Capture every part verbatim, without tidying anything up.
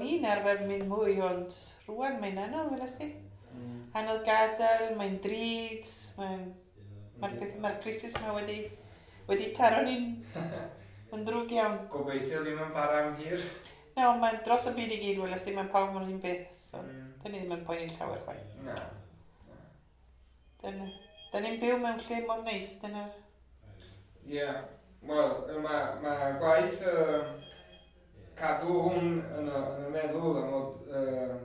i'n arfer mynd mwy, ond rwan mae'n anodd, weles di. Mm. Anodd gadael, mae'n drud, mae'n... Mae'r peth, mae'r crisis yma wedi, wedi taro ni'n yn ddrwg iawn. Gobeithio ddim yn para am hir. Na, ond mae'n dros y byd i gyd, weles di, mae'n pawb yn un beth. So, Mm. dyn ni ddim yn poeni llawer chwaith. Na. Dyna, dyn ni'n byw mewn lle mor neis, dyna'r... Ie. Yeah. Wel, mae ma gwaith uh, cadw hwn yn y, yn y meddwl am fod uh,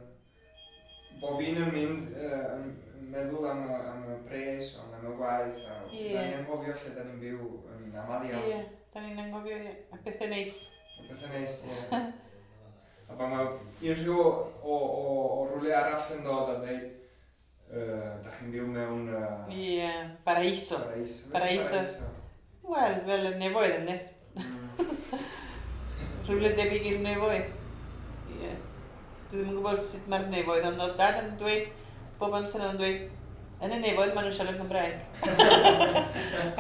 bob un yn mynd uh, yn yn meddwl am y, am y pres, ond am y gwaith, a Ie. da ni'n anghofio lle da ni'n byw yn aml Ie, iawn. yeah, da ni'n anghofio, ie. A bethau neis. A bethau neis, ie. A pan mae unrhyw o, o, o rhywle arall yn dod a dweud, uh, da chi'n byw mewn uh, Ie, yeah, paraiso. paraiso. Paraiso. Wel, fel y nefoedd, ynddi. Mm. Rhywle debyg i'r nefoedd. Ie. Yeah. Dwi ddim yn gwybod sut mae'r nefoedd, ond oedd dad yn dweud, bob amser oedd yn dweud, yn y nefoedd maen nhw'n siarad Gymraeg.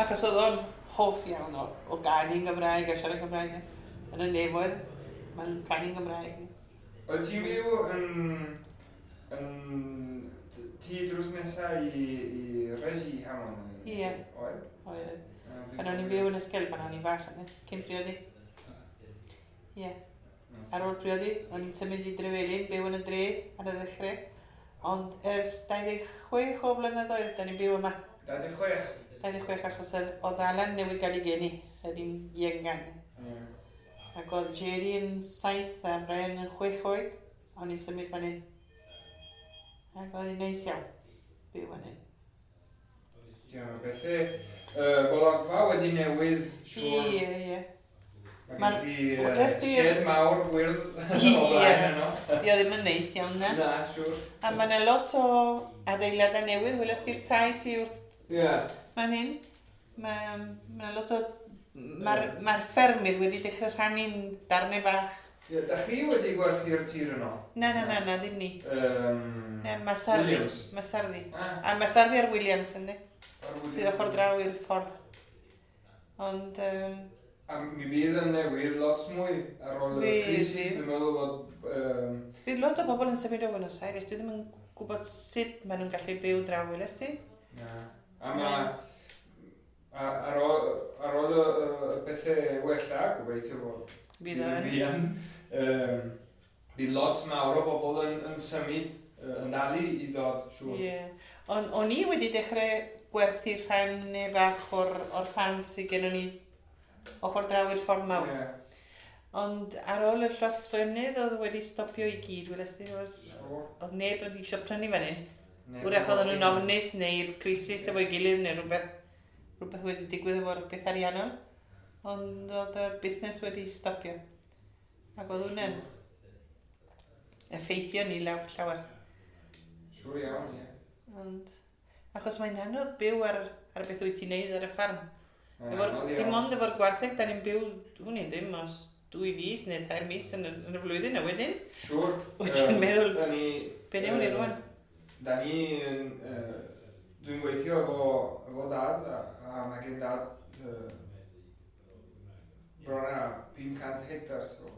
Achos oedd o'n hoff iawn o, o ganu'n Gymraeg a siarad Gymraeg. Yn y nefoedd, maen nhw'n canu'n Gymraeg. Oedd ti'n byw yn, yn t- tŷ drws nesa i, i Resi Hamon? Ie. Oedd? Oedd. Pan o'n i'n byw yn Ysgel pan o'n i'n fach, ynddi, cyn priodi. Ie. Yeah. Ar ôl priodi, o'n i'n symud i Drefelin, byw yn y dre ar y ddechrau. Ond ers dau ddeg chwech o blynyddoedd, da ni'n byw yma. dau ddeg chwech? dau ddeg chwech achos yr- oedd Alan newydd gael ei geni, yr un iengan. Ie. Ac oedd Jerry yn saith a Brian yn chwech oed, o'n i'n symud fan hyn. Ac oedd hi'n neis iawn, byw fan hyn. Diolch, bethau. Uh, golygfa wedi newid, siŵr. Ie, ie. Mae Ma'r- gen ti uh, Wnes di- shed mawr gwyrdd o Ie. blaen yno. Di o ddim yn neis iawn na. Na, siŵr. A mae yna lot o adeiladau newydd, weles ti'r tai sydd wrth Ie. fan hyn. Mae ma yna lot o... Mae'r ma ffermydd wedi dechrau rhannu'n darnau bach. Ie, da chi wedi gwerthu'r tir yno? Na, na, na, na, ddim ni. Um, Na, Masardi. Williams. Masardi. Ah, A Masardi ar Williams, ynddi? ar Williams. Sydd ochr draw i'r ffordd. Ond, um, A mi fydd yn newydd lot mwy ar ôl y Fydd, crisis. fydd. Dwi'n meddwl bod... Um, bydd lot o bobl yn symud o Buenos Aires. Dwi ddim yn gwybod sut maen nhw'n gallu byw draw, weles ti? na. A mae... A, ar ôl, ar ôl y, y bethau wella, gobeithio bod Fydd o yn. fuan, um, bydd lot mawr o bobl yn, yn symud, yy, yn dal i i dod, siŵr. Ie. Ond o'n i wedi dechrau gwerthu rhannau bach o'r, o'r ffarm sydd gennym ni ochr draw i'r ffordd mawr. Ie, Ond ar ôl y llosfynydd oedd wedi stopio i gyd, weles ti, oedd, siŵr. oedd neb wedi eisiau prynu fan hyn. Neb Wrach yn oedden nhw'n hoffi. ofnus neu'r crisis efo'i gilydd neu rhywbeth, rhywbeth wedi digwydd efo'r beth ariannol. Ond oedd y busnes wedi stopio. Ac oedd hwnna'n effeithio ni lawr llawer. Siŵr iawn, ie. Ond, achos mae'n anodd byw ar, ar beth wyt ti'n neud ar y ffarm. Mae'n Efo'r, anodd dim iawn. ond efo'r gwartheg, da ni'n byw, hwn i ddim, os dwy fis neu tair mis yn, y- yn y flwyddyn a wedyn. Siŵr. Wyt ti'n Yym, meddwl, Da ni... be newn ni yy, rwan? Da ni yn... yy, Dwi'n gweithio efo, efo dad, a, a mae gen dad uh, bron a pum cant hectars o,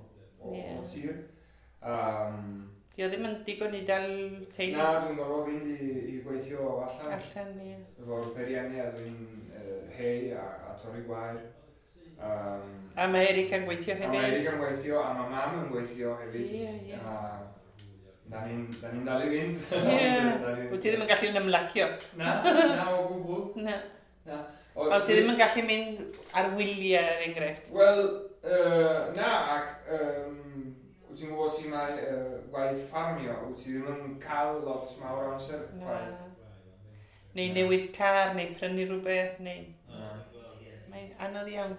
o, Ie. o tir. Um, Di o ddim yn digon i dal teulu na, dwi'n gorfod fynd i, i gweithio allan. allan, ie. Efo'r peiriannau a dwi'n uh, hei a, a torri gwair. Um, A mae Erica'n gweithio a mae hefyd. Eric yn gweithio, a mae mam yn gweithio hefyd. Ie, ie. A da ni'n da ni'n dal i fynd. Ie. Da ni'n- Wyt ti ddim yn gallu ymlacio? Na, na o gwbl. Na. Na. O, O, ti ddim yn gallu mynd ar wyliau er enghraifft? Wel, uh, na, ac um, wyt ti'n gwybod sut mae uh, gwaith ffarmio, wyt ti ddim yn cael lot mawr o amser Na. gwaith. Neu newid car, neu prynu rhywbeth, neu... Na. Mae'n anodd iawn.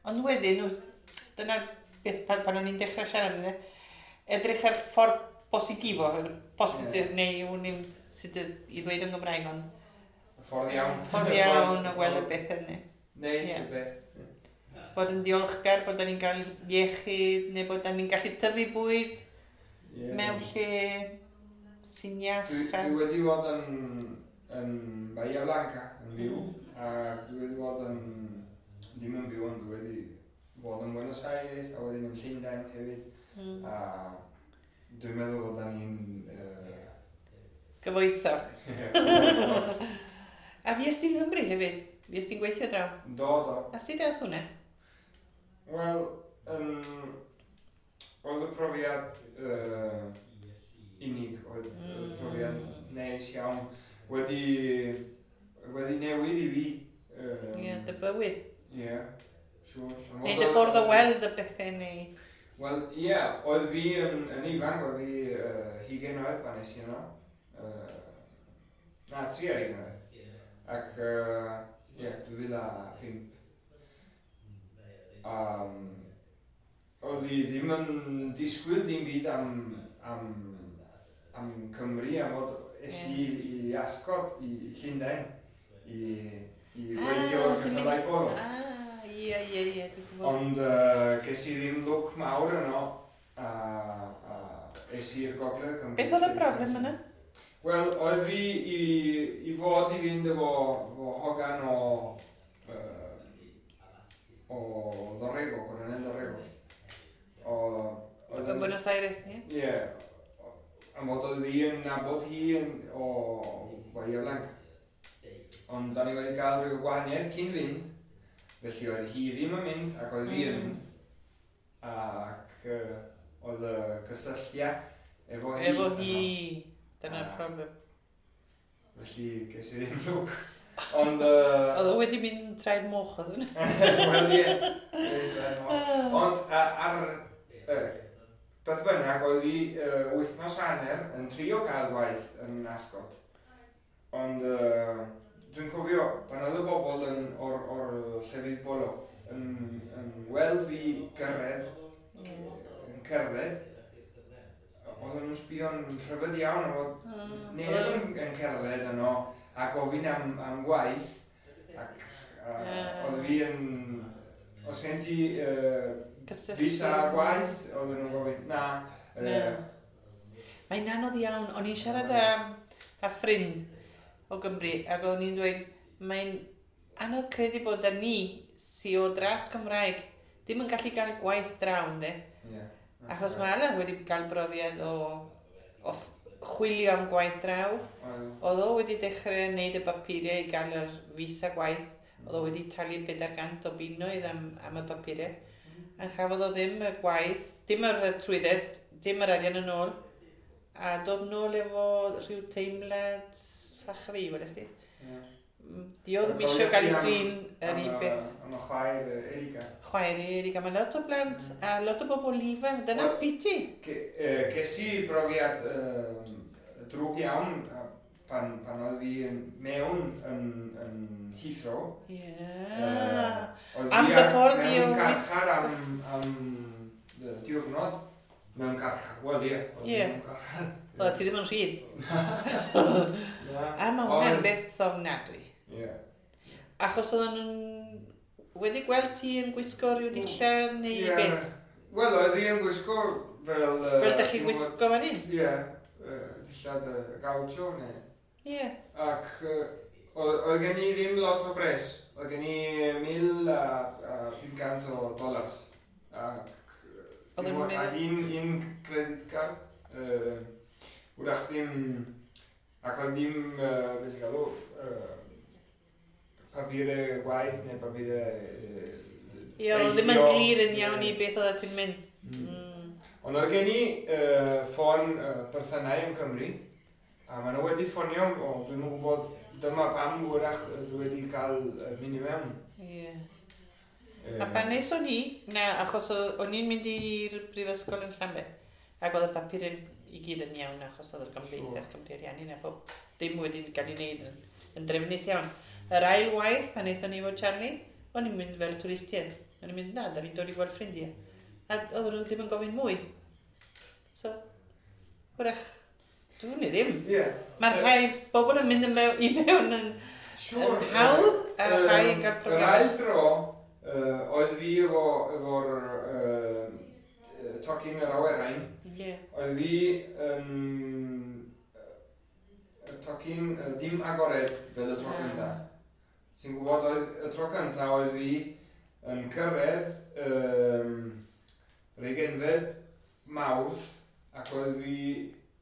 Ond wedyn, w- dyna'r beth pan, pan o'n i'n dechrau siarad, ynde? Edrych ar ffordd positifo, positif, yeah. neu wn i'n sut y- i ddweud yn Gymraeg, ond Ffordd iawn. ffordd iawn o gweld y beth yna. Neis Ie. y beth. Bod yn diolchgar bod da ni'n cael iechyd, neu bod da ni'n gallu tyfu bwyd Ie. mewn lle sy'n iach. Dwi, a- dwi wedi bod yn, yn Bahia Blanca, yn byw, a dwi wedi bod yn, ddim yn byw, ond dwi wedi bod yn Buenos Aires, a wedyn yn Llundain hefyd. Mm. A dwi'n meddwl fod da ni'n... Uh... Gyfoethog. A fues ti'n Nghymru hefyd? Fues ti'n gweithio draw? Do, do. A sut aeth hwnna? Wel, um, oedd y profiad uh, unig, oedd mm. y profiad neis iawn, wedi, wedi newid i fi. Ie, um, yeah, dy bywyd. Ie, yeah, siŵr. Neu dy ffordd o weld y bethau neu... Wel, ie, yeah, oedd fi yn, yn ifanc, oedd fi uh, hugain oed pan es i yno. Uh, na, tri ar hugain oed. Ac, ie, uh, dwy fil a pump. Um, oedd fi ddim yn disgwyl dim byd am, am, am Cymru, am fod es i i Ascot, i, i Llundain, i, i weithio o'r ceffylau polo. Ah, ie, ie, ie, dwi'n gwybod. Ond uh, ges i ddim lwc mawr yno, a, a es i'r Gogledd Cymru. Beth oedd y broblem yna? Wel, oedd fi i, i fod i fynd efo, efo hogan o, uh, o Dorrego, Coronel Dorrego. O, oedd yn Buenos Aires, ie? Ie. Am fod oedd fi yn nabod hi yn, o Bahia Blanca. Ond da ni wedi cael rhyw gwahaniaeth cyn fynd, felly oedd hi ddim yn mynd ac oedd fi yn mynd. Ac uh, oedd y cysylltiad efo hi. Efo hi, dyna'r problem. Felly ges i ddim lwc. Ond... Uh, oedd o wedi mynd traed moch oedd hwnna. Wel ie, traed moch. Ond ar... Uh, beth bynnag, oedd fi uh, wythnos hanner yn trio cael gwaith yn Ascot. Ond uh, dwi'n cofio, pan oedd y bobl yn, o'r, or llefydd bolo yn, yn weld fi gyrraedd, yeah. yn cerdded, oedden nhw'n sbio'n rhyfedd iawn am fod mm. neb yn, yn cerdded yno a gofyn am, am gwaith. Ac uh, yeah. oedd fi yn... Os gen ti uh, visa gwaith, oedden nhw'n gofyn, na. Uh, Mae'n anodd iawn. O'n i'n siarad â, â ffrind o Gymru, ac o'n i'n dweud, mae'n anodd credu bod da ni, sy o dras Cymraeg, ddim yn gallu gael gwaith draw, ynddo? Yeah. Achos mae Alan wedi cael brofiad o, o chwilio am gwaith draw. Oedd o wedi dechrau wneud y papuriau i gael yr visa gwaith. Oedd o wedi talu pedair cant o bunnoedd am, am y papuriau. A chafodd o ddim y gwaith, dim yr trwydded, dim yr arian yn ôl. A dod nôl efo rhyw teimlad llachri, wedes di. Yeah. Di o ddim eisiau gael ei drin yr un beth. Am y chwaer Erika. Chwaer Erika. Mae lot o blant mm. a lot o bobl ifanc. Dyna'r well, biti. Ces i brofiad uh, drwg iawn pan, pan oedd fi mewn yn, yn Heathrow. Ie. Yeah. Uh, am dy ffordd i o... Mewn carchar am, am diwrnod. Mewn carchar. Wel, ie. Ie. Mewn carchar. Oedd ti ddim yn rhydd. A mae hwnna'n beth ofnadwy. Yeah. Achos oedden nhw'n wedi gweld ti yn gwisgo rhyw dillad neu yeah. beth? Wel, oedd hi yn gwisgo fel... Uh, fel dych chi'n gwisgo fan hyn? Ie, yeah, uh, dillad uh, gaucho neu... Ie. Yeah. Ac uh, oedd gen i ddim lot o bres. Oedd gen i mil a, a pum cant o dollars. Ac, oedd yn ac un, un credit card. Uh, wrach ddim... Ac oedd ddim, uh, beth sy'n galw, uh, papurau gwaith neu papurau uh, Ie, oedd ddim yn glir yn iawn i beth oedd ti'n mynd. Mm. Mm. Ond oedd gen i uh, ffôn uh, perthynau yn Cymru, a maen nhw wedi ffonio, o, dwi'm yn gwybod, dyma pam wrach dwi wedi cael uh, mynd i mewn. Ie. Yeah. Uh, a pan nes o'n i, na, achos o'n i'n mynd i'r brifysgol yn Llambed, ac oedd y papur i gyd yn iawn, achos oedd yr Gymdeithas Cymru Ariannin a pob dim wedi cael ei wneud yn, yn drefnus iawn. Yr ail waith, pan aethon ni efo Charlie, o'n i'n mynd fel twristiaid. O'n i'n mynd, na, da ni'n dod i gweld ffrindiau. A oedden nhw ddim yn gofyn mwy. So, hwrach, dwi'n i ddim. Yeah. Mae rhai bobl yn mynd yn mewn, i mewn yn, sure, yn hawdd, a um, rhai yn cael problemau. Yr ail dro, uh, oedd fi efo, efo'r uh, tocyn yr awyrain. Yeah. Oedd fi yn um, tocyn uh, dim agored fel y tro ah. cyntaf. Ti'n gwybod, oedd, y tro cyntaf oedd fi yn cyrraedd um, Regenfed Mawrth, ac oedd fi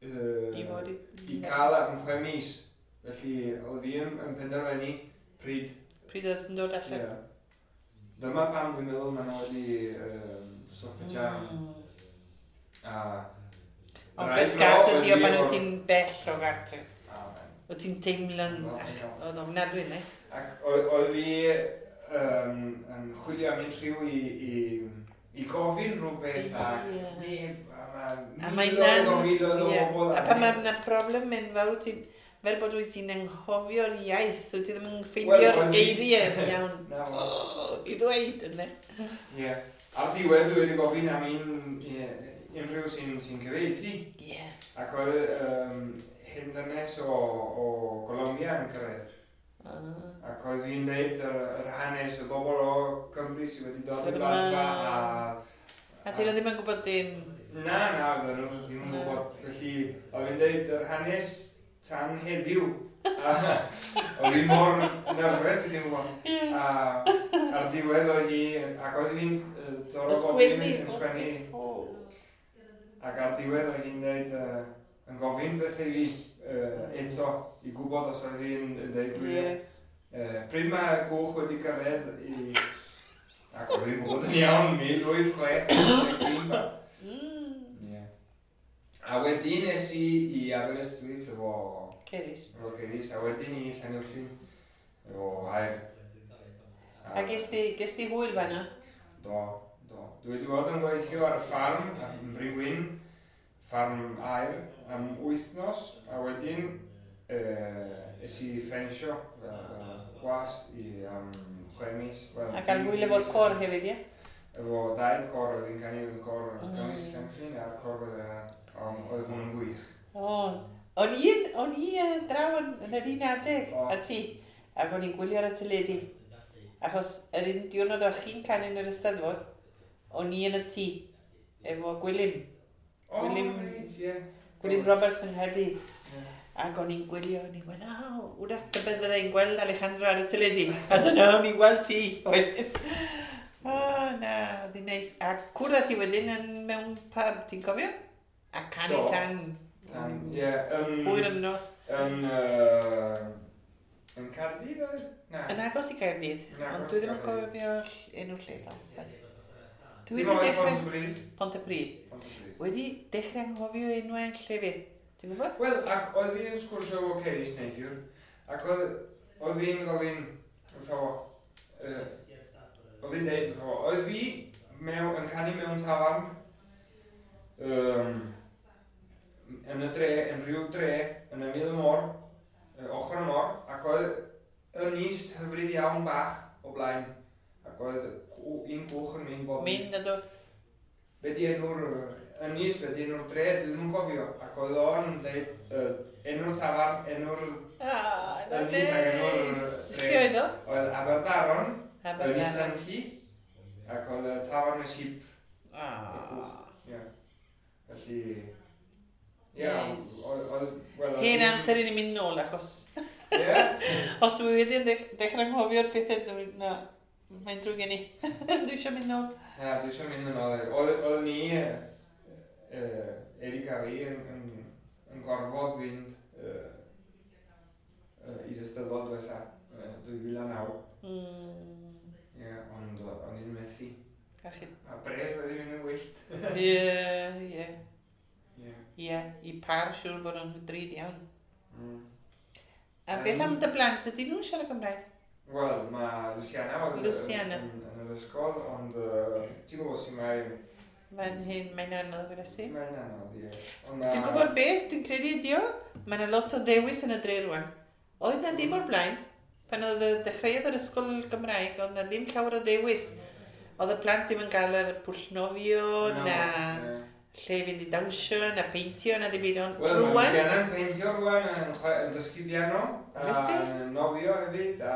uh, I fod i... i cael am chwe mis. Felly oedd fi yn, yn penderfynu pryd. Pryd oedd yn dod allan. Yeah. Dyma pam dwi'n meddwl maen nhw wedi um, stopio jam. Mm. A Ond rai beth dro gas oedd ydi o fi pan wyt o'r- ti'n bell o gartre. Ah, man. Wyt ti'n teimlo'n No, ach, no. oedd ofnadwy, ne? Ac oedd oedd fi um, yn chwilio am unrhyw i, i, i gofyn rhywbeth a Ie. neb, a A mae mae miloedd o miloedd o ie. bobl. A pan mae yna problem enfawr, ti, fel bod wyt ti'n anghofio'r iaith, wyt ti ddim yn Wel, ffeindio'r oedd fi- geiriau yn iawn. Na, wel. Oh, i ddweud, yna. Ie. Ar diwedd dwi wedi gofyn am un, ie, unrhyw sy'n sy cyfieithu. Ie. Ac oedd um, hen ddynes o, o Colombia yn cyrraedd. Ah. Ac oedd fi'n deud yr, yr hanes y bobl o Cymru sydd wedi dod Dod i yma. Bladfa a... A dyn nhw ddim yn gwybod dim. Na, na, oedden nhw ddim yn Na. gwybod. Felly, oedd fi'n deud yr hanes tan heddiw. A oedd fi mor nervous, i ddim yn gwybod. Ie. A ar diwedd oedd hi, ac oedd hi'n yy, dod o bob dim Ysgwennu. yn sgwennu. O. Ac ar diwedd oedd hi'n deud, uh, yn gofyn beth i fi uh, eto, i gwybod os oedd hi'n yn deud gwir. Ie. Uh, pryd mae gwch wedi cyrraedd i... Ac oedd hi'n gwybod yn iawn, mil wyth chwech. Mm. Ie. A wedyn es i i Aberystwyth efo, Ceris. efo Ceris, a wedyn i Llanuwchllyn efo Aer. A ges ti, ges ti hwyl fan'na? Do, do. Dwi wedi bod yn gweithio ar y ffarm yn Bryn Wyn, ffarm aer, am wythnos, a wedyn uh, es i ffensio fel, fel gwas i am chwe mis. Wel, A gael hwyl efo'r cor hefyd, ie? Efo dau cor, oedd hi'n canu yn cor Mm. Cymysg Llanllyn a'r cor oedd yna, ond oedd hwn yn gwych. O, o'n i, yn- o'n i yy, draw yn, yn yr un adeg, O. a ti, ac o'n i'n gwylio ar y teledu. Achos yr un diwrnod o'ch chi'n canu yn yr Eisteddfod, o'n i yn y tŷ, efo Gwilym, O, Gwilym- reit, ie. Gwilym Roberts yng Nghaerdydd. Ie. Ac o'n i'n gwylio, o'n i'n gweld, o, wrach tybed fydda i'n gweld Alejandro ar y teledu. A dyna o'n i'n gweld ti. Wedyn. O, na, oedd hi'n neis. A cwrdd â ti wedyn yn mewn pub, ti'n cofio? A canu Do. tan Tan, ie, yn... hwyr yn nos. Yn... yy, Yn Caerdydd oedd? Na. Yn agos i Caerdydd, Yn agos ond dwi ddim yn i Gaerdydd. cofio enw'r lle ddo. Dwi Dim wedi oedd dechrau... Pontypridd. Pontypridd. Pontypridd. Wedi dechrau anghofio enwau llefydd. Ti'n gwybod? Wel, ac oedd fi'n sgwrsio efo Ceris neithiwr, ac oedd, oedd fi'n gofyn, wrtho fo, yy, oedd fi'n deud wrtho fo, oedd fi mewn, yn canu mewn tafarn, um, yn y dre, yn rhyw dre, yn ymyl y môr, yy, ochr y môr, ac oedd ynys hyfryd iawn bach o blaen, ac oedd cw- un cwch yn mynd bob Mynd a dod. Be di enw'r ynys, be di enw'r dre, dwi ddim yn cofio. Ac oedd o'n deud uh, enw'r tafarn, enw'r... Ah, na Ynys ac enw'r neis. dre. Lle oedd o? Oedd Aberdaron, Ynys Aberdaron. Enlli, ac oedd y tafarn y sip. Ah. Ie. Felly... Ie, Neis. oedd... oedd- wel, oedd Hen hi- amser i ni mynd nôl, achos Ie. os dwi wedi dech- dechrau anghofio'r pethau, dwi, na, mae'n drwg gen i. Dwi eisiau mynd nôl. Na, dwi eisiau mynd yn ôl. Oedd oedd ni, yy, yy, Eric a fi, yn, yn, yn gorfod fynd yy, yy, i'r Eisteddfod diwetha, yy, dwy fil a naw. Mm. Ie, ond o- o'n i'n methu. A chi. A bres wedi mynd yn wyllt. Ie, ie. Ie. Ie, i par siŵr bod o'n drud iawn. Mm. A beth am dy blant, ydyn nhw'n siarad Cymraeg? Wel, mae Luciana oedd yn- Luciana. yn, yn yr ysgol, ond uh, ti'n gwybod sy'n mae... Mae'n hyn, mae'n anodd gyda si. Mae'n anodd, ie. Ond ma- Ti'n gwybod beth dwi'n credu ydi o? Mae yna lot o ddewis yn y dre rwan. Oedd na ddim o'r blaen. Pan oedd y dechreuodd yr ysgol Gymraeg, oedd na ddim llawer o ddewis. Oedd y plant ddim yn gael yr pwll nofio, No, na ie. lle i fynd i dawnsio, na peintio, na ddim byd. Ond Wel, mae rwan, Luciana'n peintio rwan, yn, chwe- yn dysgu piano, a Wnes ti? nofio hefyd, a...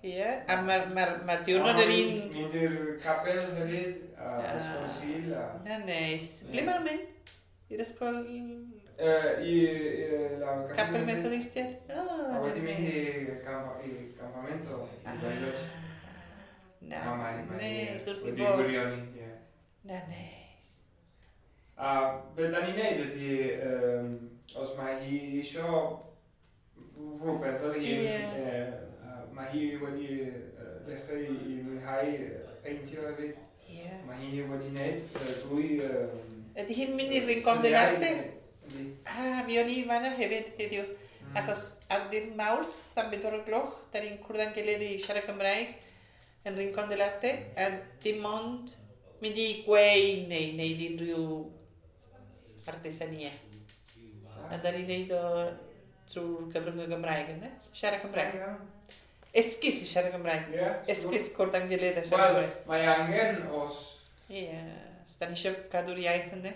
ie, a mae'r ma, ma diwrnod yr un... Mynd i'r capel hefyd, a Ah. ysgol Sul, a... Na neis. Ie. Ble maen nhw'n mynd? I'r ysgol Yy, I, i la Capel Methodistiaid? O, A wedi na mynd neis. i campa- i campamento, i Ah, Bariloche. Na, A mae, mae neis, wrth i wedi bodd. gwirioni, ie. Na neis. A be da ni'n neud ydy, um, os mae hi isio rhywbeth fel hyn, Ie. yeah. uh, mae hi wedi uh, dechrau i, i mwynhau peintio hefyd. Ie. Mae hi wedi wneud uh, dwy... Um, Ydy hi'n mynd i Rincon del Arte? Ydy. Ah, mi o'n i fanna hefyd heddiw. Mm. Achos ar ddydd Mawrth am bedwar o gloch, da ni'n cwrdd â'n gilydd i siarad Cymraeg yn Rincon del Arte, a dim ond mynd i gweu neu wneud unrhyw artesania. A da ni'n neud o trwy'r gyfrwng y Gymraeg, ynddo? Siarad Cymraeg. Iawn. Esgus i siarad Cymraeg. Ie. Esgus cwrdd â'n gilydd a siarad Wel, Cymraeg. mae angen os... Ie, os da ni eisiau cadw'r iaith, ynddo?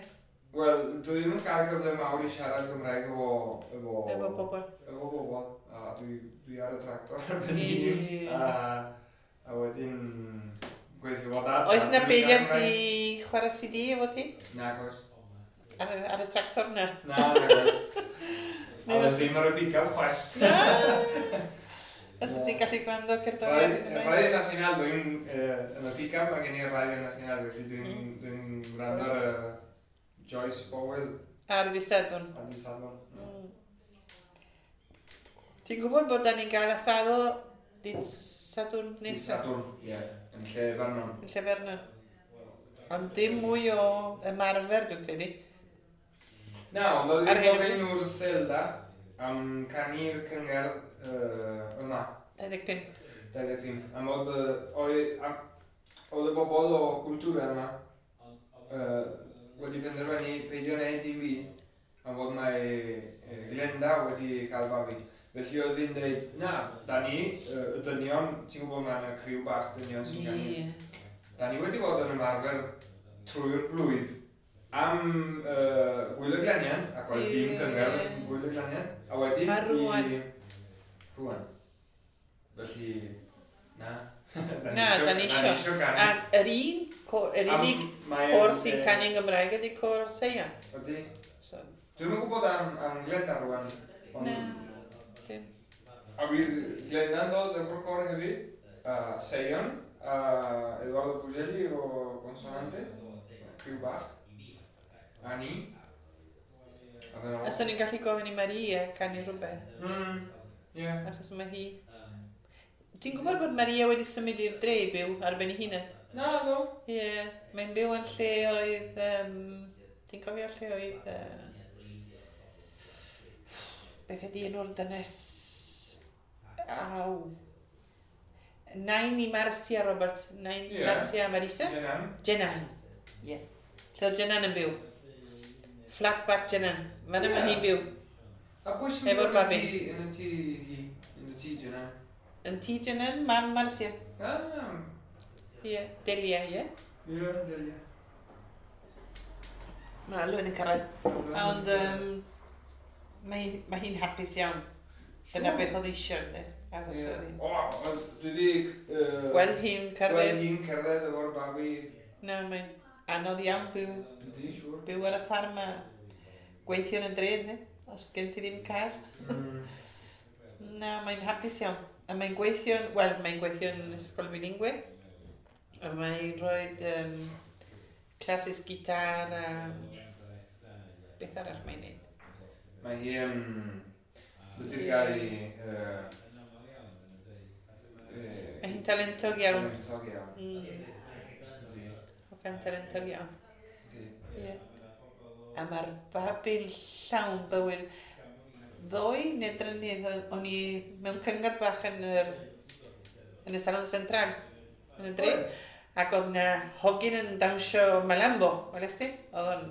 Wel, dwi ddim yn cael cyfle mawr i siarad Cymraeg efo... Efo, Efo bobl. Efo bobl. A dwi, dwi ar y tractor ar ben hun. Ie. A, a wedyn gweithio fo dad. Oes na a dwi'n beiriant siarad i chwarae C D efo ti? Cymraeg. Nag oes. Ar, y- ar y tractor na? Na, nag oes. Neu A os- oes ddim ar y pick-up chwaith. Na! Os ydych chi'n gallu gwrando cerddoriaeth Radio, Gymraeg? Radio Nacional, dwi'n... Uh, yn y pick-up mae gen i'r Radio Nacional, felly dwi'n Mm. dwi'n gwrando ar y Joyce Powell Ar ddydd Sadwrn. ar dydd Sadwrn. Mm. Ti'n gwybod bod da ni'n gael asado dydd Sadwrn Dydd nesaf? Sadwrn, ie. Yn lle Vernon. Yn lle Vernon. Ond dim mwy o ymarfer, dwi'n credu. Na, ond oedd Ar hi'n hyn o gofyn wrth Zelda am canu'r cyngerdd uh, yma, dau ddeg pump. dau ddeg pump. Am oedd, yy, oedd, am, oedd y bobl o cwltwra yma uh, wedi penderfynu peidio wneud dim byd am fod mae uh, Glenda wedi cael babi. Felly oedd fi'n dweud, na, da ni, uh, y dynion, ti'n gwybod mae yna criw bach dynion sy'n canu. Ie. Da ni wedi bod yn ymarfer trwy'r blwydd am uh, Gwyl y Glaniant, ac oedd dim Ie. cyngerdd Gwyl y Glaniant, a wedyn A rŵan? i... Rŵan. Felly, na. Na, da ni isio. Da ni isio canu. A yr un, co- yr Am- unig mae côr yn, sy'n yy, canu yn Gymraeg ydy côr Seion. Ydy. So, Dwi'm yn gwybod am, am Glenda rŵan. Ond, na, dim. A bydd Glenda'n dod efo'r côr hefyd, a Seion, a Eduardo Pugelli o Consonante, criw bach, a ni. A dyna A fo. swn i'n gallu gofyn i Maria canu rhywbeth, Mm, ie. achos mae hi... Ti'n gwybod bod Maria wedi symud i'r dre i byw ar ben ei hunan? Na, ddo. Ie, yeah, mae'n byw yn lle oedd... Um, ti'n cofio lle oedd... Uh, beth ydi enw'r dynes? Aw. Nain i Marcia Roberts. Nain Ie. Marcia Marisa? Jenan. Jenan. Ie. Yeah. Lle oedd Jenan yn byw? Flat back Jenan. Fan yma Ie. hi'n byw. A pwy sy'n Efo'r byw yn y babi. tŷ, yn y tŷ hi, yn y tŷ Jenan? Yn tŷ Jenan, mam Marcia. Ah, Ie. Yeah. Delia, ie. ie, Delia. Mae Alwyn yn cyrraedd. Ond um, mae, mae hi'n hapus iawn. Dyna beth oedd eisiau, ynddi? Achos Ie. oedd hi'n- O, wel, dwi di... yy, Gweld hi'n Gweld cerdded. hi'n cerdded efo'r babi. Na, mae'n anodd iawn byw, Yndi, siŵr. byw ar y ffarm a gweithio yn y dre, ynddi? Os gen ti ddim car. Mm. Na, mae'n hapus iawn. A mae'n gweithio, wel, mae'n gweithio yn ysgol bilingue. A mae'n rhoi um, classes gitar a beth arall mae'n neud. Mae hi yn... Beth yw'r Ie. gair i... yy, yy, Mae hi'n talentog iawn. Talentog iawn. Mm, Yndi, hogan talentog iawn. yndi. Ie. A mae'r babi'n llawn bywyd. Ddoe neu drynydd o'n i mewn cyngor bach yn yr, yn y Salon Central, yn y dre. Ac oedd na hogyn yn dawnsio malambo, weles ti? Oedd o'n...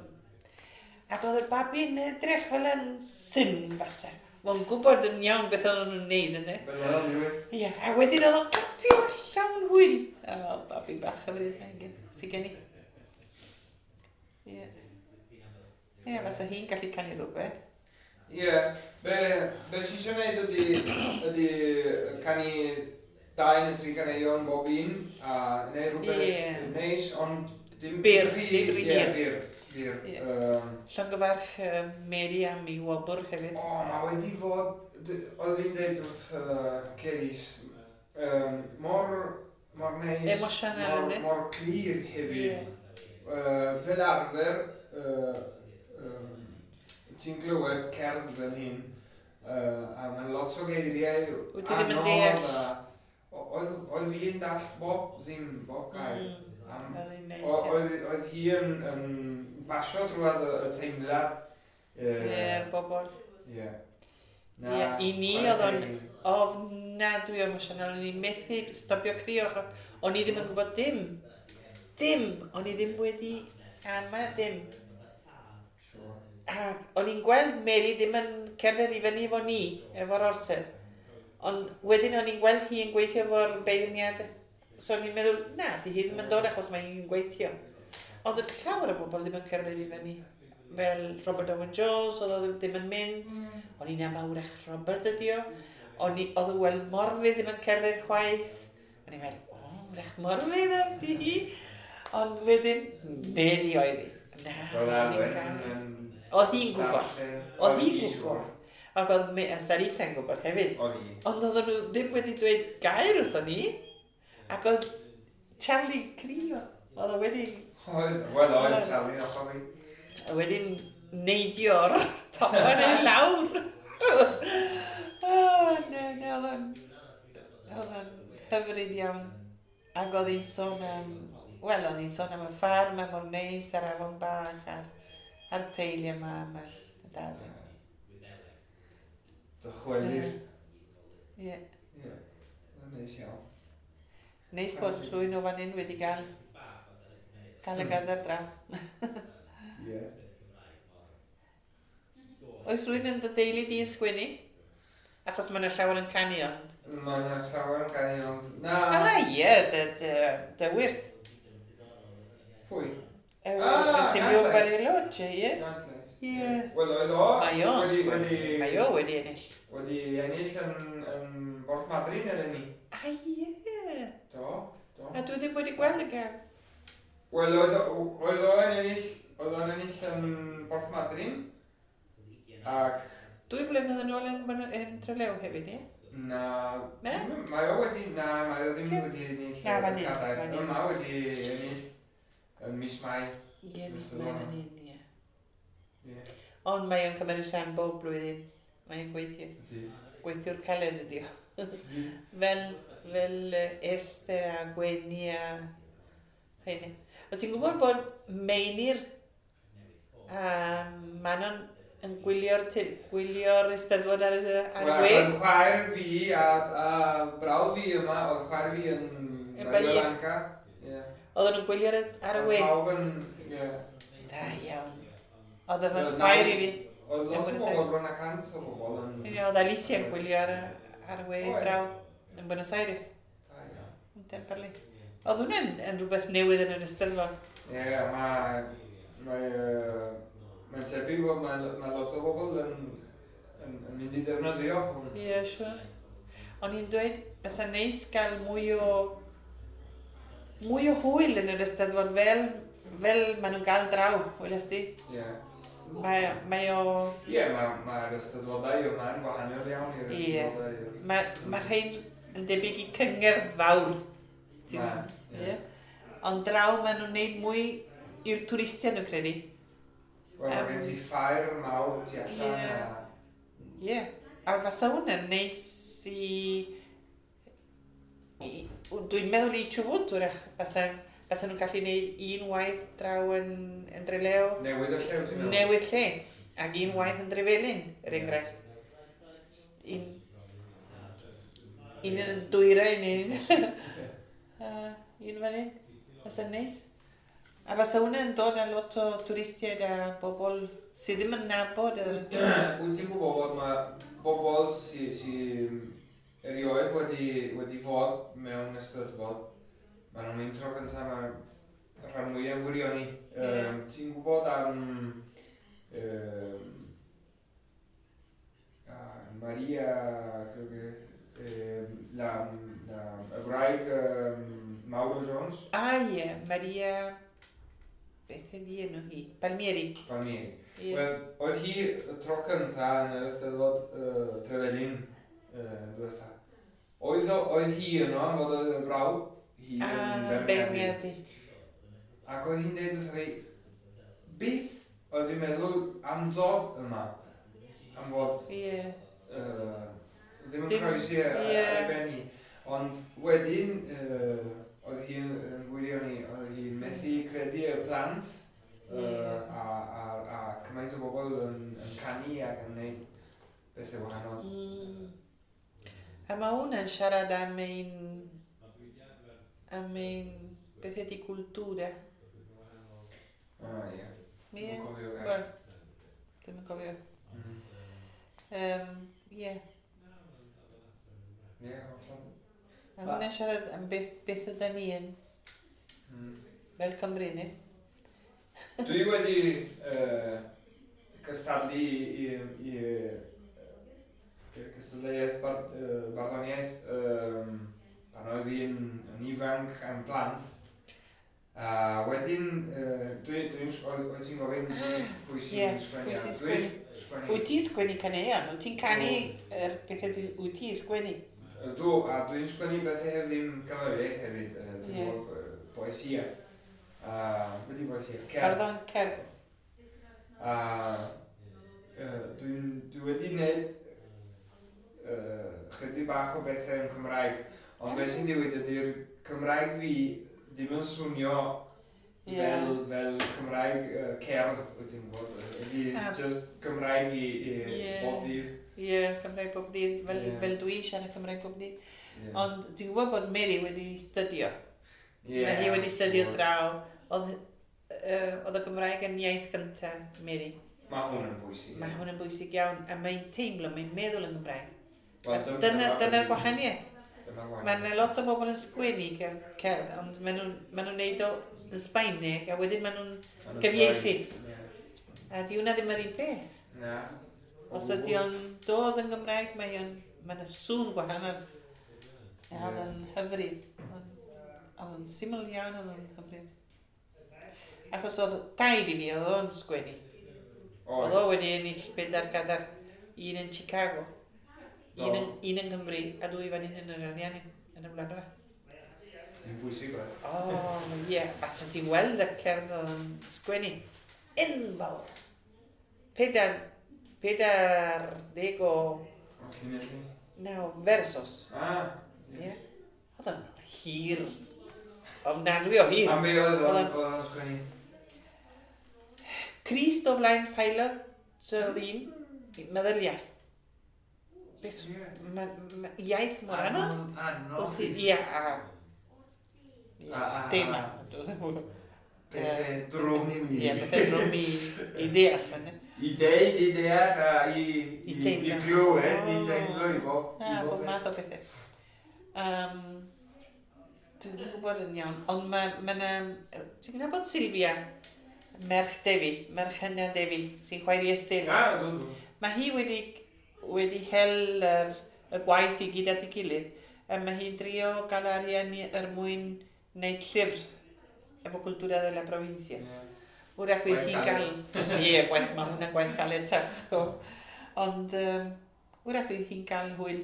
Ac oedd y babi'n edrych fel yn syn fasa. O'n gwybod yn iawn beth o'n nhw'n neud, ynddi? Fel oedd o'n digwydd. Ie, a wedyn oedd o'n clapio llawn hwyl. O, babi bach hyfryd, mae'n gen, sy gen i. Ie. Ie, fasa hi'n gallu canu rhywbeth. Ie, be, be sy'n eisiau gwneud ydy, ydy canu dau neu tri caneuon bob un, a neud rhywbeth Ie. neis, ond dim Byr, rhy- dim rhy Ie, hir. byr, byr. Ie. Yym, Llongyfarch um, Mary am ei wobr hefyd. O, mae wedi fod, d- oedd fi'n deud wrth uh, Ceris, um, mor, mor neis, Emosiynol, mor, yndi? mor clir hefyd. Ie. Uh, fel arfer, uh, um, ti'n glywed cerdd fel hyn, uh, a mae'n lot o geiriau Wyt ti ddim yn deall. A, oedd, oedd fi yn dall bob ddim, bob gair. Mm, Am, Oedd hi'n neis. o- oedd, oedd hi yn, yn basio drwad y, y teimlad. Ie, Ie, bobl. Ie. Ie, i ni chwarae oedd o'n- teg i. Ofnadwy o emosiynol, o'n i'n methu stopio crio, achos o'n i ddim yn gwybod dim. Dim! O'n i ddim wedi ama dim. Sure. A o'n i'n gweld Mary ddim yn cerdded i fyny efo ni, efo'r orsedd. Ond wedyn o'n i'n gweld hi yn gweithio efo'r beirniad. So o'n i'n meddwl, na, di hi ddim yn dod achos mae hi'n gweithio. Ond oedd llawer o bobl ddim yn cerdded i fyny. Fel Robert Owen Jones, oedd o ddim yn mynd. O'n i'n ama wrach Robert ydi o. O'n i, oedd y wel Morfydd ddim yn cerdded chwaith. O'n i'n meddwl, o, wrach Morfydd ydi hi. Ond wedyn, Mary oedd hi. Na, Roedd o'n i'n Alwen cael- yn... Oedd hi'n gwybod. darllen. Oedd hi'n hi gwybod. siŵr. Ac oedd Me- a Sarita'n gwybod hefyd. Oedd hi. Ond oedden nhw ddim wedi dweud gair wrthon ni. Ac oedd Charlie crio. Oedd o wedi, Oedd, wel oedd Charlie yn ochr fi. a wedyn neidio'r topen i lawr. Oh, na, na, oedd o'n oedd o'n hyfryd iawn. Ac oedd hi'n sôn am, wel, oedd hi'n sôn am y ffarm, a mor neis, a'r afon bach, a'r, a'r teulu yma, a'r dad. Dychwelir. Ie. Ie. Oedd yn neis iawn. Neis bod rhywun o fan hyn wedi gael, gael y gadair draw. Ie. Oes rhywun yn dy deulu di yn sgwennu? Achos mae yna llawer yn canu ond. Mae yna llawer yn canu ond... Na. Ah, ie, dy, dy, dy wyrth. Pwy? E, Ah, sy'n byw yn Gantlais. Bariloche, ie. Gantlais. Ie. Wel, oedd o... Mae o'n wedi- sgwennu. wedi- Mae o wedi ennill. Wedi ennill yn, yn Borth Madryn eleni. Ah, ie. Do, do. A dwi ddim wedi gweld y gem. Wel, oedd o- oedd o'n ennill, oedd o'n ennill yn Borth Madryn. Ac Dwy flynedd yn ôl yn, yn, yn Trelew hefyd, ie? na, Na? mae o wedi, na, mae o ddim Ie. wedi ennill Na, y fan hyn, cadair. fan hyn. Yma wedi ennill yn mis Mai. Ie, mis Mis Mai Mai. fan hyn, ie. Ie. Ond mae o'n cymryd rhan bob blwyddyn. Mae o'n gweithio. Ydy. Gweithiwr caled ydi o. Ydy. Fel, fel yy, Esther a Gwenny a rheiny. O ti'n gwybod bod Meinir a Manon yn gwylio'r te- gwylio'r Eisteddfod ar, y- ar y Wel, we? Oedd chwaer fi a, a brawd fi yma, oedd chwaer fi yn Yn Bahia Bahia. Blanca. Ie. Oedden nhw'n gwylio'r ar y we? Oedd pawb yn, ie. Da iawn. Oedd efo'n Oedd chwaer i naw- fi. Oedd lot Yn o Buenos bobl, Aires. bron a cant o bobl yn... Ie, oedd Alicia yn gwylio ar, y- ar y we Oedd. draw yn Buenos Aires. Da iawn. Yn Temperley. Oedd hwnna'n yn rhywbeth newydd yn yr Eisteddfod. Ie, mae... Mae... yy, Mae'n tebyg bod mae, mae lot o bobl yn, yn, yn mynd i ddefnyddio hwn. Ie, yeah, siwr. O'n i'n dweud, bysa neis gael mwy o mwy o hwyl yn yr Eisteddfod fel, fel maen nhw'n gael draw, weles di. Ie. Mae, mae o... Ie, mae, mae'r Eisteddfodau yma yn wahanol iawn i'r Ie. Eisteddfodau. Mae, mae rhain yn debyg i cyngerdd fawr. Ti'n- Ma, ie. Ie. Ond draw maen nhw'n neud mwy i'r twristiaid nhw'n credu. Wel, mae Yym, gen ti ffair mawr tu allan Ie. a... Ie. A fasa hwnna'n neis i... i dwi'n meddwl i Chubut, wrach. Fasa, fasa nhw'n gallu neud un waith draw yn, yn Dreleo. Newydd o llew, ti'n meddwl? Newid lle. Ac un waith yn Drefelin, er Ie. enghraifft. Un, un yn y dwyrain, un, uh, un fan hyn. Fysa'n neis. A fysa hwnna'n dod â lot o twristiaid a bobl sydd ddim yn nabod yr... Wyt ti'n gwybod bod mae bobl sy, sy erioed wedi, wedi fod mewn Eisteddfod, maen nhw'n mynd tro cyntaf, mae'r rhan mwyaf wirioni. Ie. Um, ti'n gwybod am um, ah, Maria, creo que, um, la, la, y wraig um, Mauro Jones, Ah, ie, Maria... Beth ydi enw hi? Palmieri. Palmieri. Ie. Wel, oedd hi y tro cynta yn yr Eisteddfod uh, Trefelin uh, diwetha. Oedd, o- oedd hi yno am fod oedd y brawd, hi Ah, yn beirniadu. beirniadu. Ac oedd hi'n dweud wrtho fi, beth oedd fi'n meddwl am ddod yma, am fod Ie. uh, ddim yn Dim- croesi ar ie. ar ei ben hi. Ond wedyn, uh, oedd hi'n yn gwylio ni, oedd hi'n methu credu y plant uh, Ie. a, a, a cymaint o bobl yn, yn canu ac yn gwneud bethau wahanol. Mm. A mae hwnna'n siarad am ein... am ein... beth ydy cultura. Ah, ie. Ie. Dwi'm yn cofio gair. Wel, ddim yn cofio. Mm. Um, Ie. Ie, hollol. A hwnna'n siarad am beth, beth ydyn ni yn Mm. fel Cymru, ni? Dwi wedi uh, cystadlu i, i, i uh, cystadleuaeth bar, uh, barddoniaeth um, pan oedd fi'n yn ifanc am plant. A wedyn, uh, dwi, dwi'n, oedd, oedd ti'n gofyn pwy sy'n Ie, sgwennu? pwy sy'n a sgwennu? Dwi'n sgwennu. Wyt ti'n sgwennu caneuon? Wyt ti'n canu yr pethau dwi- wyt ti'n sgwennu? Ydw, a dwi'n sgwennu bethau heb ddim cerddoriaeth hefyd, uh, dwi'n Ie. gwybod, yy, poesia. A, beth di poesia? Cerdd. Barddon cerdd. A yy, dwi'n dwi wedi wneud uh, chydig bach o bethau yn Cymraeg, ond beth sy'n digwydd ydy'r Cymraeg fi ddim yn swnio Ie. fel, fel Cymraeg uh, cerdd, wyt ti'n gwybod? Ydy Ah. just Cymraeg i, i Ie. bob dydd. Ie, Cymraeg bob dydd, fel, Ie. fel dwi siarad Cymraeg bob dydd. Ie. Ond dwi'n gwybod bod Mary wedi stydio. Ie, Mae hi wedi stydio gwbod. draw. Oedd, uh, oedd y Gymraeg yn iaith gyntaf Mary. Mae hwn yn bwysig. Mae hwn yn bwysig iawn, a mae'n teimlo, mae'n meddwl yn Gymraeg. Wel, A dym- dyna, dyma- dyna'r gwahaniaeth. Dyna'r gwahaniaeth. Mae yna lot o bobl yn sgwennu cer- cerdd, ond maen nhw'n maen nhw'n neud o yn Sbaeneg, a wedyn maen nhw'n Ma' nhw'n gyfieithu. troi. Ie. A di hwnna ddim yr un peth. Na. Os ydy o'n dod yn Gymraeg, mae o'n, mae yna sŵn gwahanol. A oedd o'n hyfryd. Oedd o'n- Oedd o'n syml iawn, oedd o'n hyfryd. Achos oedd taid i fi, oedd o'n sgwennu. Oedd o wedi ennill bedair gadair, un yn Chicago, un yn, un yn Nghymru, a dwy fan hyn yn yr Ariannin, yn y Wladfa. Dwi'n bwysig, fe. O, ie, a sa ti'n weld y cerdd oedd yn sgwennu. Enfawr. Pedair, pedair deg o, O, llinelli. naw, versos. Ah. Ie. Oedd o'n hir. Ofnadwy o hir. Am be oedd o'n Oedd o'n- oedd o'n sgwennu? Crist o flaen pilot, oedd un, meddylia. Beth, Ie. ma, ma, iaith mor anodd. Anodd. Wrth i, ia, a... Ie, A- a- Dim a. Pethau drwm i... Ie, pethau drwm i, i deall. ynde? I deud, i deall, a i... I teimlo. I glywed, i O. teimlo, i bob... Na, i bob beth. math o bethau. Um, dwi ddim yn gwybod yn iawn, ond mae ma na... Ti'n gwybod Sylvia, merch Defi, merch hynna Defi, sy'n chwaer i Estelle? Ah, dw, dw. Mae hi wedi, wedi hel yr, y gwaith i gyd at ei gilydd, a mae hi'n drio gael arian i- er mwyn wneud llyfr efo cultura de la provincia. Ie. Wrach fydd Gwaith hi'n gael... Ie, gwaith, mae hwnna'n gwaith caletach. o. Ond um, wrach fydd hi'n cael hwyl.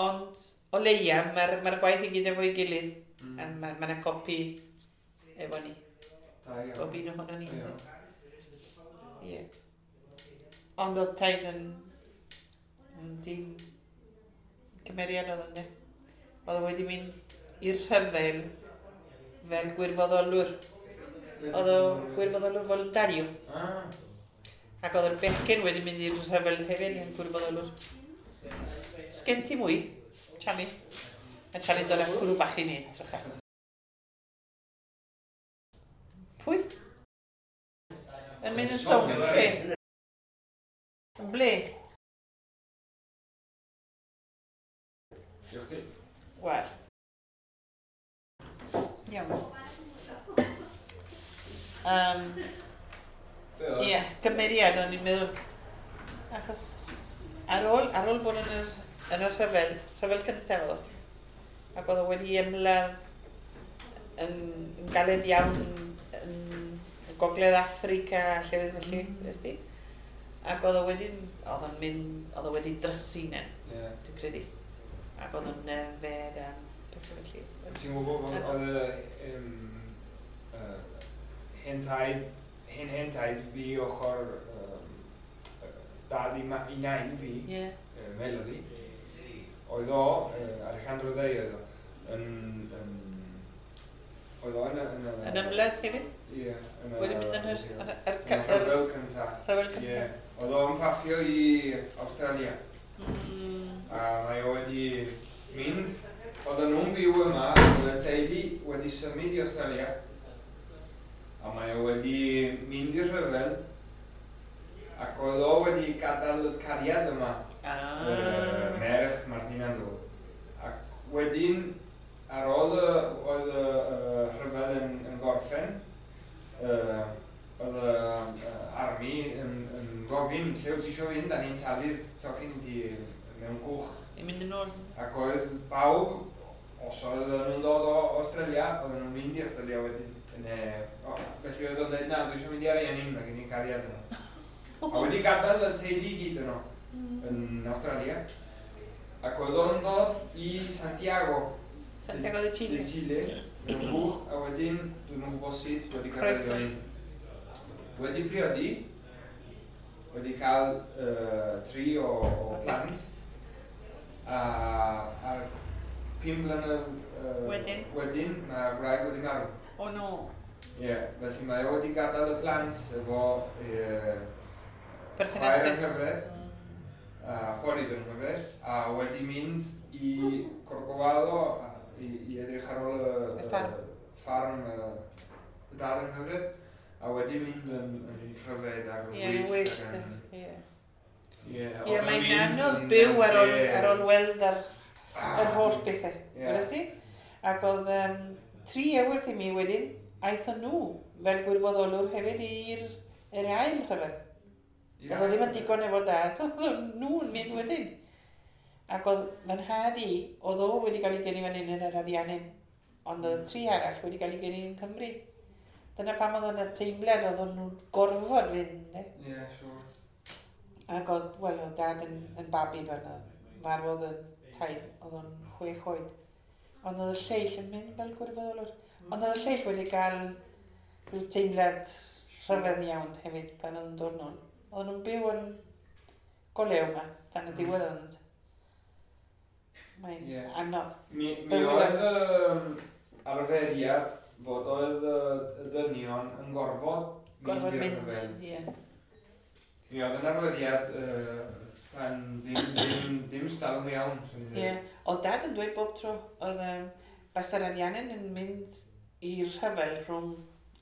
Ond o leia, mae'r mae gwaith i gyd efo'i gilydd. Mm. A mae ma yna copi efo ni. Da iawn. Bob un ohono ni. Da iawn. Ie. Ond oedd taid yn, yn dyn cymeriad oedd ynddo. Oedd o wedi mynd i'r rhyfel fel gwirfoddolwr. Oedd o gwirfoddolwr voluntario. Ah. Ac oedd yr bechgyn wedi mynd i'r rhyfel hefyd yn gwirfoddolwr. Sgen ti mwy? Charlie? A Charlie'n dod â cwrw bach i ni, trycha. Pwy? Yn mynd yn sownd, ble? Yn ble? Diolch ti. Wel. Iawn. Um, Be oedd? Ie, cymeriad o'n i'n meddwl. Achos ar ôl, ar ôl bod yn yr, yn y rhyfel, rhyfel cyntaf oedd o. Ac oedd o wedi ymladd yn, yn galed iawn yn, yn Gogledd Affrica a llefydd felly, mm. nes ti? Ac oedd o wedyn, oedd o'n mynd, oedd o wedi drysu na, Ie. dwi'n credu. Ac oedd o'n yfed a pethau felly. Ti'n gwybod bod oedd y yym, yy, hen taid hen hen taid fi ochr um, dad i, ma, i nain fi, Ie. uh, Melody, oedd o, uh, Alejandro Day oedd o, yn, yn, oedd o yn y... Yn, y- Yn ymladd hefyd? Ie. yn y- Wedi mynd yn yr... ie. yn yr- yr- Yn y yr- rhyfel cynta. Rhyfel Ie. cyntaf. Oedd o'n paffio i Australia. Mm. A mae o wedi mynd, oedden nhw'n byw yma, oedd y teulu wedi symud i Australia. A mae o wedi mynd i'r rhyfel, ac oedd o wedi gadael y cariad yma, Ah. uh, merch Martina Ndw. Ac wedyn, ar ôl y, oedd y, y rhyfel yn, yn gorffen, uh, oedd y uh, army yn, yn gofyn, lle wyt ti eisiau fynd, a ni'n talu'r tocyn i ti mewn cwch. I mynd yn ôl. Ac oedd pawb, os oedd nhw'n dod o Australia, oedden nhw'n mynd i Australia wedyn. Neu, o, felly oedd o'n dweud, na, dwi eisiau mynd i Ariannin, mae gen i cariad yno. A wedi gadael y teulu i gyd yno, Mm. yn Australia. Ac oedd o'n dod i Santiago, Santiago de Chile. de Chile, mewn cwch, a wedyn, dwi'm yn gwybod sut, wedi cyrraedd Croeso. fan hyn. Wedi priodi, wedi cael uh, tri o, o plant, a ar pum blynedd uh, Wedyn? wedyn, mae gwraig wedi marw. O no. Ie, yeah, felly mae o wedi gadael y plant efo uh, Perthnasau. chwaer yng nghyfraith, Mm. a chwarydd yng nghyfraith, a wedi mynd i Corcovado a- i, i edrych ar ôl y, Y ffarm. y ffarm y, y dad yng nghyfraith, a wedi mynd yn, yn rhyfedd ac yn Ie, yn wyllt. wyllt. ac yn- Ie. Ie, Ie, oedd o'n mae'n mynd anodd yn- byw ar ôl, ie. ar ôl weld ar Ah, yr holl bethau. Ie. Welest ti? Ac oedd um, tri ewyll i mi wedyn, aethon nhw fel gwirfoddolwr hefyd i'r yr ail rhyfel. Ie. Oedd o ddim yn digon efo dad, oedd nhw'n mynd wedyn. Ac oedd fy nhad i, oedd o wedi cael ei geni fan hyn yn yr Ariannin, ond oedd y tri arall wedi cael ei geni yn Cymru. Dyna pam oedd yna teimlad oedd nhw'n gorfod fynd. Eh? Ie, siŵr. Ac oedd, wel, oedd dad yn, yn babi pan oedd farwodd yn taid, oedd o'n chwech oed. Ond oedd y lleill yn mynd fel gwirfoddolwr. Ond oedd y lleill wedi cael rhyw teimlad rhyfedd iawn hefyd pan oedd yn dod nôl. Oedden nhw'n byw yn golew yma, tan y Mm. diwedd ond mae'n Ie. anodd. Mi, mi Bywyd. oedd yym, arferiad fod oedd y, y dynion yn gorfod Gorfod i'r mynd, rhyfel. ie. Mi oedd yn arferiad uh, tan ddim, ddim, ddim stalwm iawn, swn i'n Ie. dweud. Oedd dad yn dweud bob tro, oedd um, basa'r Ariannin yn mynd i'r rhyfel rhwng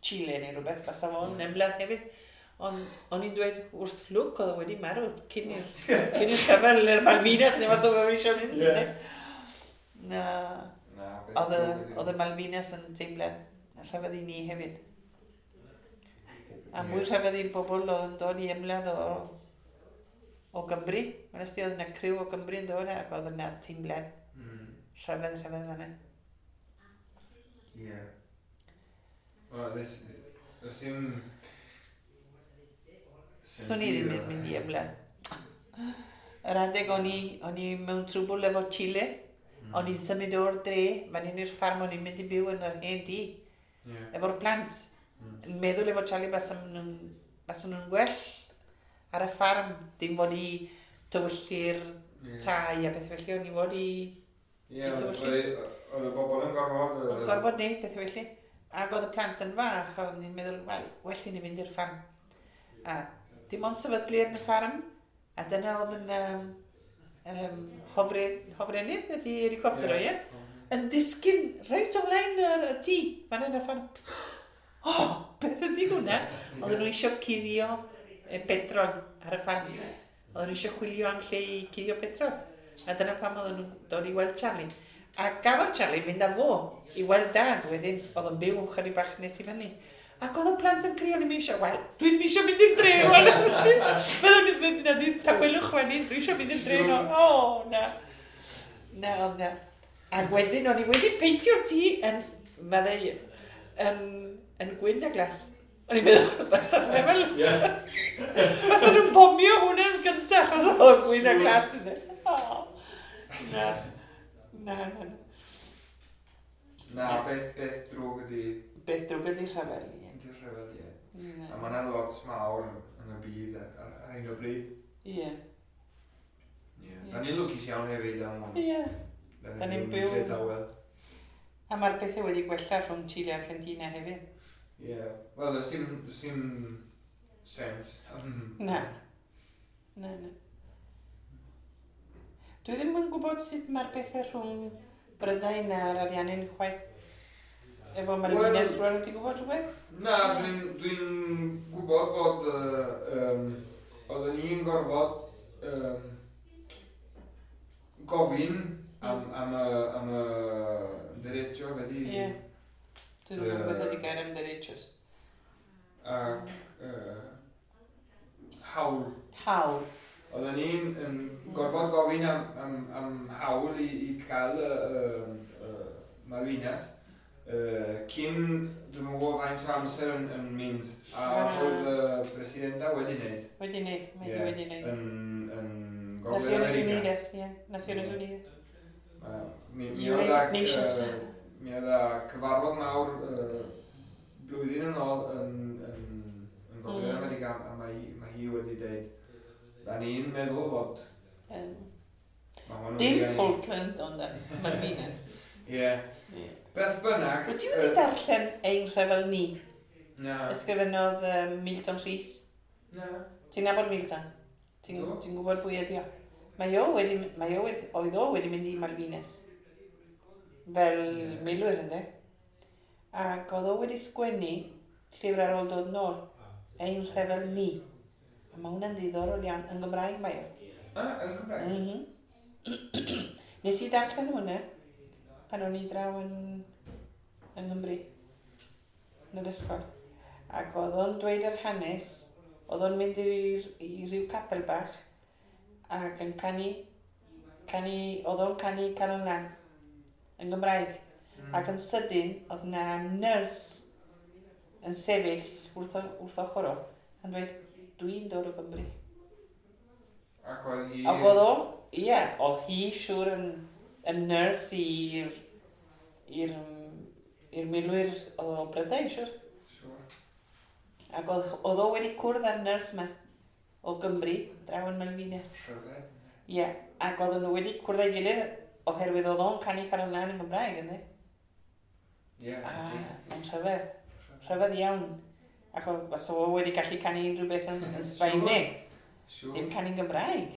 Chile neu rhywbeth, basa fo'n Mm. ymladd hefyd. Ond o'n i'n dweud wrth lwc oedd o wedi marw cyn i'r cyn i'r rhyfel neu'r Malvinas neu mas o fe eisiau mynd. Ie. ne? Na, Na, beth oedd y, drwg ydi. oedd y Malvinas yn teimlad rhyfedd i ni hefyd. A mwy Ie. rhyfedd i'r bobl oedd yn dod i ymladd o, o Gymru. Wnes di oedd yna criw o Gymru yn dod ac oedd yna teimlad Mm, rhyfedd rhyfedd fanna. Ie. Wel, does does dim... Swn i ddim yn mynd i ymladd. Yr adeg o'n i, o'n i mewn trwbl efo Chile, Mm. o'n i'n symud o'r dre, fan hyn i'r ffarm, o'n i'n mynd i byw yn yr hen dŷ, Ie. efo'r plant. Mm. Yn meddwl efo Charlie basan nhw'n basan nhw'n gwell ar y ffarm, dim fod i tywyllu'r Ie. tai a beth felly, o'n i fod i Ie, oedd tywyllu. oedd y bobl yn gorfod... yy, O'n gorfod neud beth felly. Ac oedd y plant yn fach, o'n i'n meddwl, wel, well i ni fynd i'r ffarm. A dim ond sefydlu yn y ffarm, a dyna oedd yn um, um, hofre, hofrennydd, ydy helicopter o, ie? Yn disgyn reit o flaen yr, y tŷ, fan yn y ffarm. O, oh, beth ydy hwnna? Oedden nhw eisiau cuddio e, petrol ar y ffarm. Oedden nhw eisiau chwilio am lle i cuddio petrol. A dyna pam oedden nhw'n dod i weld Charlie. A gafodd Charlie mynd â fo i weld dad wedyn, oedd yn byw chydig bach nes i fyny. Ac oedd y plant yn crio, o'n i'n eisiau, wel, dwi'n eisiau mynd i'r dre, wel, fyddwn ni'n mynd na ddim tawelwch wedyn, dwi eisiau mynd i'r dre, no. O, na. Na, oedd na. Ac wedyn, o'n i wedi peintio'r tŷ yn, meddai, yn, yn gwyn a glas. O'n i'n meddwl, basa'r lefel, Ie. basa nhw'n bomio hwnna yn gyntaf, achos oedd o'n gwyn a glas yn O, na. Na, na, na. Na, beth, beth drwg ydi... Beth drwg ydi rhyfel, ie. Ydi'r rhyfel, ie. Na. A mae yna lot mawr yn y byd ar, ar, ar hyn o bryd. Ie. Yeah. Da ni'n lwcus iawn hefyd am hwn. Ie. Da Da ni'n ni'n byw- lle dawel. A mae'r pethau wedi gwella rhwng Chile a Argentina hefyd. Ie. Wel, does dim, does dim sens. Mm. Na. Na, na. Dwi ddim yn gwybod sut mae'r pethau rhwng Brydain a'r Ariannin chwaith. Efo Malvinas Wel- rwan, ti'n gwybod rhywbeth? Na, dwi'n dwi gwybod bod uh, um, oedden ni'n gorfod um, gofyn am, am y, am y derecho wedi Ie. Dwi ddim yn gwybod Yy. ydy gair am derechos. ac uh, hawl. Hawl. Oedden ni'n yn gorfod gofyn am, am, am hawl i, i cael y, y, y Malvinas uh, cyn, dwi'n gwybod faint o amser yn, yn mynd, a Ah. oedd y presidenta wedi wneud Wedi wneud, mae hi Ie. wedi wneud. yn, yn Gogledd Naciones America. Unidas, ie. Naciones Ie. Unidas. Ma- Mi, mi oedd United ag, Nations. yy, mi oedd â cyfarfod mawr uh, blwyddyn yn ôl yn, yn, yn Gogledd Mm. America a mae, hi- mae hi wedi dweud da ni'n meddwl bod Yym, mae hwn yn Dim mynd i- Falkland, ond yn Malvinas. Ie. Ie. Beth bynnag... Wyt ti wedi yy, darllen Ein Rhyfel Ni? Na. Ysgrifennodd um, Milton Rhys. Na. Ti'n nabod Milton? Ti'n Do. ti gwybod pwy ydi o? Mae o wedi, mae o wedi, oedd o wedi mynd i Malvinas. Fel Ie. milwyr, ynddo? Ac oedd o wedi sgwennu llyfr ar ôl dod nôl. Ein Rhyfel Ni. A mae hwnna'n ddiddorol iawn. Yn Gymraeg mae o. Ah, yn Cymraeg? Mm -hmm. Nes i ddarllen hwnna pan o'n i draw yn, yng Nghymru, yn yr ysgol. Ac oedd o'n dweud yr hanes, oedd o'n mynd i'r, i ryw capel bach ac yn canu, canu, oedd o'n canu Calon Lân yn Gymraeg. Mm. Ac yn sydyn, oedd na nyrs yn sefyll wrth, o- wrth ochr o yn dweud, "Dwi'n dod o Gymru." Ac oedd hi... Ac oedd o, ie, oedd hi siŵr yn, yn nyrs i'r i'r i'r milwyr o Brydain, siŵr. Siŵr. Ac oedd, oedd o wedi cwrdd â'r nyrs yma o Gymru, draw yn Malvinas. Rhyfedd. Ie, ac oedden nhw wedi cwrdd â'i gilydd oherwydd oedd o'n canu Calon Lân yn Gymraeg, ynddi? Ie, Ah, ti. mae'n rhyfedd. Rhyfedd iawn. Ac oedd, fasa o wedi gallu canu unrhyw beth yn, yn Sbaeneg, Siŵr. dim canu'n Gymraeg.